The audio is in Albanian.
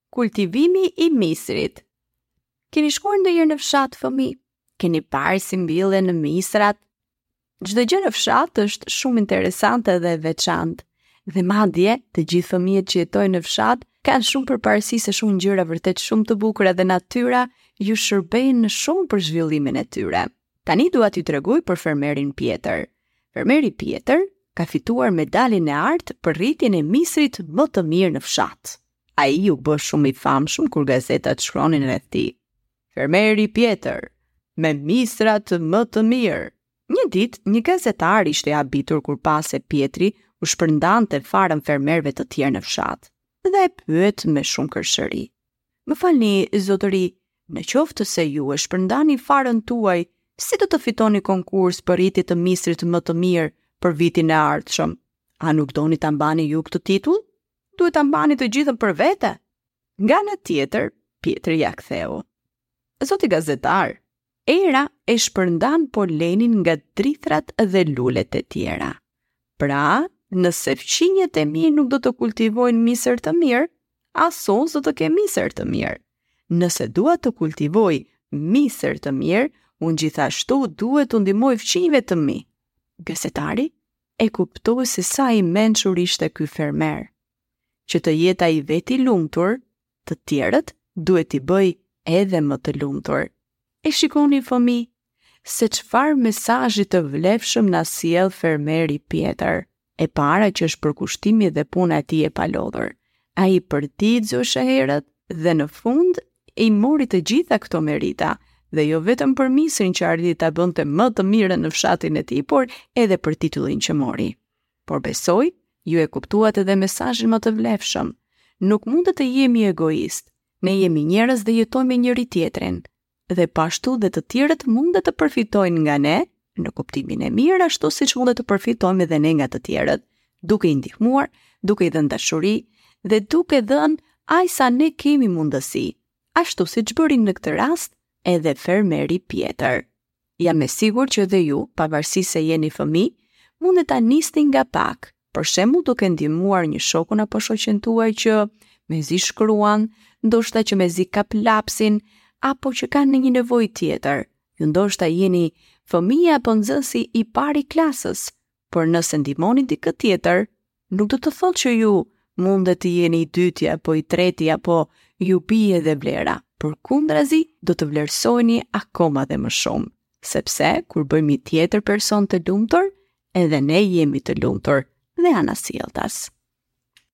Kultivimi i misrit. Keni shkuar ndonjëherë në fshat fëmijë? Keni parë si mbillen misrat? Çdo gjë në fshat është shumë interesante dhe e veçantë. Dhe madje, të gjithë fëmijët që jetojnë në fshat kanë shumë përparësi se shumë gjëra vërtet shumë të bukura dhe natyra ju shërben shumë për zhvillimin e tyre. Tani dua t'ju tregoj për fermerin Pjetër. Fermeri Pjetër ka fituar medaljen e artë për rritjen e misrit më të mirë në fshat. Ai u bë shumë i famshëm kur gazetat shkruanin rreth tij. Fermeri Pjetër, me misrat më të mirë. Një ditë, një gazetar ishte i habitur kur pa se Pjetri u shpërndante farën fermerëve të tjerë në fshat dhe e pyet me shumë kërshëri. Më falni, zotëri, në qoftë se ju e shpërndani farën tuaj, si do të fitoni konkurs për rritje të misrit më të mirë për vitin e ardhshëm? A nuk doni ta mbani ju këtë titull? Duhet ta mbani të gjithën për vete. Nga ana tjetër, Pjetri ia ktheu. Zoti gazetar, era e shpërndan polenin nga drithrat dhe lulet e tjera. Pra, nëse fqinjët e mi nuk do të kultivojnë misër të mirë, as unë s'do të kem misër të mirë. Nëse dua të kultivoj misër të mirë, unë gjithashtu duhet t'u ndihmoj fqinjve të mi. Gazetari e kuptoi se sa i mençur ishte ky fermer. Që të jetë ai vetë i lumtur, të tjerët duhet t'i bëjë edhe më të lumtur. E shikoni fëmijë, se çfarë mesazhi të vlefshëm na sjell fermeri Pjetër. E para që është përkushtimi dhe puna e tij e palodhur. Ai përditë zgjohej herët dhe në fund i mori të gjitha këto merita, dhe jo vetëm për misrin që arriti ta bënte më të mirën në fshatin e tij, por edhe për titullin që mori. Por besoj, ju e kuptuat edhe mesazhin më të vlefshëm. Nuk mund të jemi egoistë. Ne jemi njerëz dhe jetojmë me njëri-tjetrin. Dhe po ashtu dhe të tjerët mund të përfitojnë nga ne, në kuptimin e mirë, ashtu siç mund të përfitojmë edhe ne nga të tjerët, duke i ndihmuar, duke i dhënë dashuri dhe duke dhënë aq sa ne kemi mundësi, ashtu siç bëri në këtë rast edhe fermeri Pjetër. Jam e sigurt që dhe ju, pavarësisht se jeni fëmijë, mund ta nisni nga pak, për shembull duke ndihmuar një shokun apo shoqen tuaj që mezi shkruan, ndoshta që mezi kap lapsin, apo që ka një nevojë tjetër. Ju ndoshta jeni fëmija apo nxënësi i parë i klasës, por nëse ndihmoni dikë tjetër, nuk do të thotë që ju mundet të jeni i dyti apo i treti apo ju bie dhe vlera. Përkundrazi, do të vlerësoheni akoma dhe më shumë, sepse kur bëjmë një tjetër person të lumtur, edhe ne jemi të lumtur dhe anasjelltas.